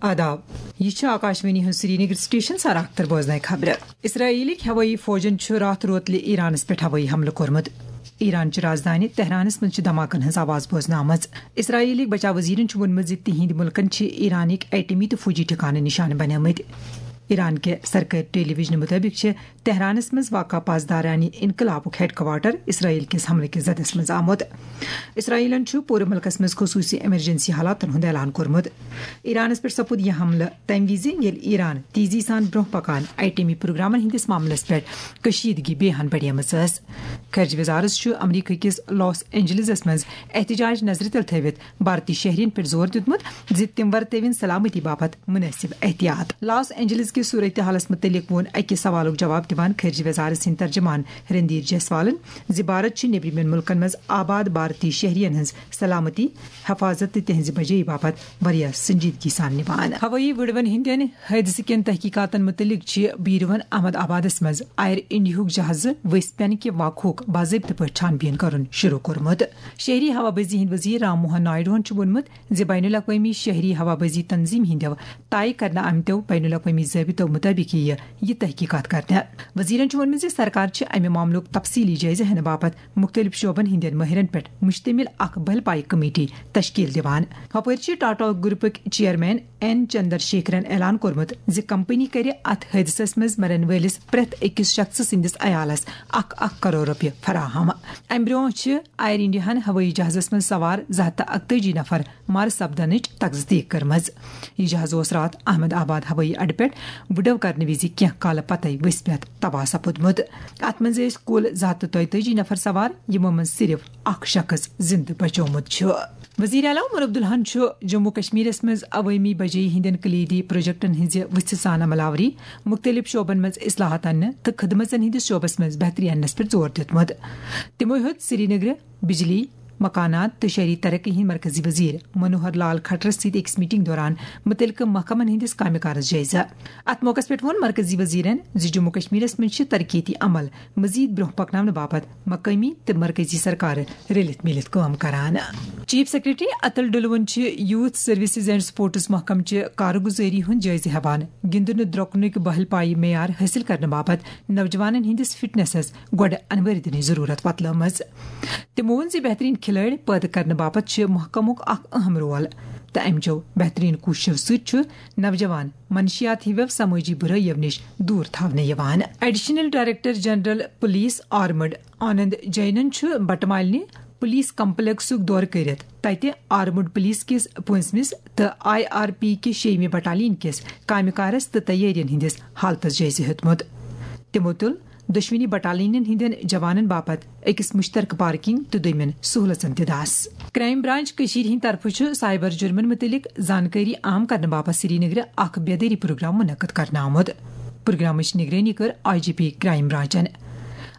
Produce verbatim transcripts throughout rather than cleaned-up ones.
آداب، یہِ چھُ آکاشوانی ہُنٛد سرینگر سٹیشن۔ سر اختر بوزناے خبرٕ۔ اسرائیلٕکۍ ہوٲیی فوجن چھُ راتھ روتلہِ ایرانس پٮ۪ٹھ ہوٲیی حملہٕ کوٚرمُت۔ ایران چہِ رازدانہِ تہرانس منٛز چھِ دھماکن ہٕنٛز آواز بوزنہٕ آمٕژ۔ اسرائیلٕکۍ بچاو وزیرن چھُ ووٚنمُت زِ تِہنٛدۍ مُلکن چھِ ایرانٕکۍ ایٹمی تہٕ فوجی ٹھکانہٕ نشانہٕ بنیمٕتۍ۔ ایران کہِ سرکٲرۍ ٹیلی ویژنہٕ مُطٲبِق چھِ تہرانس منٛز واقع پاسدارانہِ انقلابُک ہیڈ کوارٹر اسرائیل کِس حملہٕ کِس زدس منٛز آمُت۔ اسرائیلن چھُ پوٗرٕ مُلکس منٛز خصوٗصی ایمرجنسی حالاتن ہُنٛد اعلان کوٚرمُت۔ ایرانس پٮ۪ٹھ سپُد یہِ حملہٕ تَمہِ وِزِ، ییٚلہِ ایران تیزی سان برٛونٛہہ پکان ایٹمی پروگرامن ہٕنٛدِس معاملس پٮ۪ٹھ کشیدگی بیہان بڑیمٕژ ٲس۔ خارجہ وزارت چھُ امریکہ کِس لاس اینجلسس منٛز احتجاج نظرِ تل تھٲوِتھ بھارتی شہرین پٮ۪ٹھ زور دیُتمُت زِ تِم ورتٲوِن سلامتی باپتھ مناسب احتیاط۔ لاس اینجلس کِس صورتحالس مُتعلق ووٚن اکہِ سوالُک جواب دِوان خارجہ وزارت سٕنٛدۍ ترجمان رندیر جیسوالن زِ بھارت چھُ نیبرِمٮ۪ن مُلکن منٛز آباد بھارتی شہرین ہٕنٛز سلامتی، حفاظت تہٕ تِہنٛزِ بجٲیی باپتھ واریاہ سنجیدگی سان نِوان۔ ہوٲیی وٕڑوَن ہٕنٛدٮ۪ن حٲدثہٕ کٮ۪ن تحقیقاتن مُتعلق چھِ بیرون احمد آبادس منٛز ایئر انڈیاہُک جہازٕ ؤسۍ پٮ۪نہٕ کہِ واقعُک باضٲبطہٕ پٲٹھۍ چھان بیٖن کرُن شروع کوٚرمُت۔ شہری ہوابازی ہٕنٛدۍ وزیر رام موہن نائیڈوہن چھُ ووٚنمُت زِ بین الاقوٲمی شہری ہوابازی تنظیم ہٕنٛدیو طے کرنہٕ آمتیو بین الاقوٲمی ضٲبطو مُطٲبِق یِیہِ یہِ تحقیقات کرنہٕ۔ وزیرن چھُ ووٚنمُت زِ سرکار چھِ امہِ معاملُک تفصیلی جٲیزٕ ہینہٕ باپتھ مُختٔلِف شعبن ہٕنٛدٮ۪ن مٲہرن پٮ۪ٹھ مشتمل اکھ بھل پایہِ کمیٹی تشکیل دِوان۔ ہُپٲرۍ چھِ ٹاٹا گروپٕکۍ چیئرمین این چندر شیکھرن اعلان کوٚرمُت زِ کمپنی کرِ اتھ حٲدثس منٛز مرن وٲلِس پرٛٮ۪تھ أکِس شخصہٕ سٕنٛدِس عیالس اکھ اکھ کرور رۄپیہِ فراہم۔ امہِ برٛونٛہہ چھِ ایئر انڈیاہن ہوٲیی جہازس منٛز سوار زٕ ہتھ تہٕ اکتٲجی نفر مارٕ سپدنٕچ تصدیق کٔرمٕژ۔ یہِ جہاز اوس راتھ احمد آباد ہوٲیی اڈٕ پٮ۪ٹھ وُڈو کرنہٕ وِزِ کینٛہہ کالہٕ پتے ؤسۍ پٮ۪تھ تباہ سپُدمُت۔ اتھ منٛز ٲسۍ کُل زٕ ہتھ تہٕ دۄیتٲجی نفر سوار، یِمو منٛز صرف اکھ شخص زندٕ بچومُت چھُ۔ وزیر اعلیٰ عمر عبداللہن چھُ جموں کشمیرس منٛز عوٲمی بجٲیی ہٕنٛدٮ۪ن کلیدی پروجیکٹن ہٕنٛزِ وُژھِ سان عمل آوری، مُختٔلِف شعبن منٛز اصلاحات اننہٕ تہٕ خدمژن ہٕنٛدِس شعبس منٛز بہتری اننس پٮ۪ٹھ زور دیُتمُت۔ تِمو ہیوٚت سرینگرٕ بجلی، مکانات تہٕ شہری ترقی ہٕنٛدۍ مرکزی وزیر منوہر لال کھٹرس سۭتۍ أکِس میٹنگ دوران مُتعلقہٕ محکمن ہٕنٛدِس کامہِ کارس جٲیزٕ۔ اتھ موقعس پٮ۪ٹھ ووٚن مرکزی وزیرن زِ جموں کشمیرس منٛز چھِ ترقیتی عمل مزید برونٛہہ پکناونہٕ باپتھ مقٲمی تہٕ مرکزی سرکارٕ رٔلِتھ میٖلِتھ کٲم کران۔ چیف سیکرٹری اتل ڈلون چھِ یوتھ سروسز اینڈ سپورٹس محکمہٕ چہِ کارگزٲری ہُنٛد جٲیزٕ ہٮ۪وان۔ گِنٛدنہٕ درٛۄکنٕکۍ بہل پایہِ معیار حٲصِل کرنہٕ باپتھ نوجوانن ہٕنٛدِس فٹنسس گۄڈٕ انوٲرۍ دِنٕچ ضروٗرت وۄتلٲومٕژ۔ تِمو ووٚن زِ بہتریٖن کھلٲڑۍ پٲدٕ کرنہٕ باپتھ چھِ محکمُک اکھ اہم رول تہٕ امہِ چو بہتریٖن کوٗششو سۭتۍ چھُ نوجوان منشیات ہِوٮ۪و سمٲجی بُرٲیو نِش دوٗر تھاونہٕ یِوان۔ Additional director general police armed Anand جینن چھُ بٹہٕ مالنہِ پولیس کمپلیکسُک دورٕ کٔرِتھ تتہِ آرمڈ پولیس کِس پٲنٛژمِس تہٕ آئی آر پی کہِ شیٚیِمہِ بٹالین کِس کامہِ کارس تہٕ تیٲرین ہٕنٛدِس حالتس جٲیزٕ ہیوٚتمُت۔ تِمو تُل دۄشوٕنی بٹالینن ہٕنٛدٮ۪ن جوانن باپتھ أکِس مُشترکہٕ پارکنگ تہٕ دوٚیمٮ۪ن سہوٗلژن تہِ دس۔ کرائم برانچ کٔشیٖرِ ہٕنٛدِ طرفہٕ چھُ سائبر جُرمن مُتعلق زانکٲری عام کرنہٕ باپتھ سرینگرٕ اکھ بیدٲری پروگرام منعقد کرنہٕ آمُت۔ پروگرامٕچ نگرٲنی کٔر I G P crime برانچن۔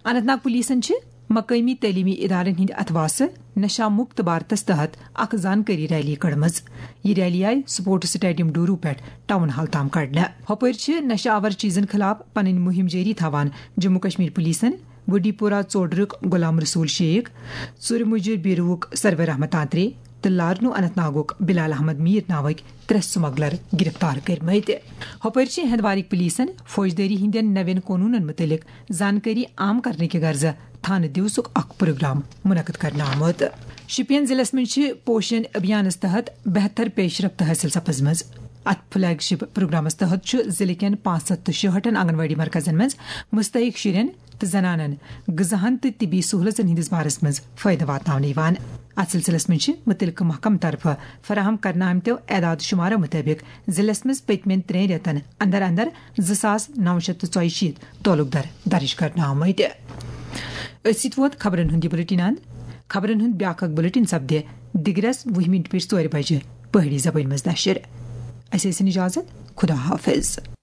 Anant Nag پولیسن چھِ مقٲمی تعلیمی ادارن ہٕنٛدِ اتھواسہٕ نشہ مکت بھارتس تحت اکھ زانکٲری ریلی کٔڑمٕژ۔ یہِ ریلی آیہِ سپورٹس سٹیڈیم ڈورو پٮ۪ٹھ ٹاؤن ہال تام کڑنہٕ۔ ہُپٲرۍ چھِ نشہ آور چیزن خلاف پنٕنۍ مُہِم جٲری تھاوان جموں کشمیر پولیسن گوڈی پورہ ژوڈرُک غلام رسول شیخ، ژُرِ مُجہِ بیروُک سرور احمد تانترے تہٕ لارنو اننت ناگُک بلال احمد میر ناوٕکۍ ترٛےٚ سمگلر گرفتار کٔرمٕتۍ۔ ہُپٲرۍ چھِ ہندوارٕکۍ پولیسن فوجدٲری ہٕنٛدٮ۪ن نوٮ۪ن قونوٗنن مُتعلق زانکٲری عام کرنہٕ کہِ غرضہٕ تھانہٕ دیوسُک اکھ پروگرام منعقد کرنہٕ آمُت۔ شوپین ضلعس منٛز چھِ پوشن ابھیانس تحت بہتر پیش رفت حٲصِل سپٕزمٕژ۔ اتھ فلیگ شپ پروگرامس تحت چھُ ضلعہٕ کٮ۪ن پانٛژھ ہتھ تہٕ شُہٲٹھن آنگن واڑی مرکزن منٛز مستحق شُرٮ۪ن تہٕ زنانن غذاہن تہٕ طبی سہولژن ہٕنٛدِس بارس منٛز فٲیدٕ واتناونہٕ یِوان۔ اتھ سلسلس منٛز چھِ مُتعلقہٕ محکمہٕ طرفہٕ فراہم کرنہٕ آمتیو اعداد شمارو مُطٲبِق ضلعس منٛز پٔتمٮ۪ن ترٛٮ۪ن رٮ۪تن اندر اندر زٕ ساس نو شیٚتھ تہٕ ژۄیہِ شیٖتھ تعلق در درج کرنہٕ آمٕتۍ۔ أتھۍ سۭتۍ ووت خبرن ہُنٛد یہِ بُلٹن اند۔ خبرن ہُنٛد بیٛاکھ اکھ بُلٹن سپدِ دِگرس وُہہِ مِنٹہِ پٮ۪ٹھ ژورِ بجہِ پہٲڑی زبٲنۍ منٛز نشر۔ اسہِ ٲسِن اجازت۔ خدا حافظ۔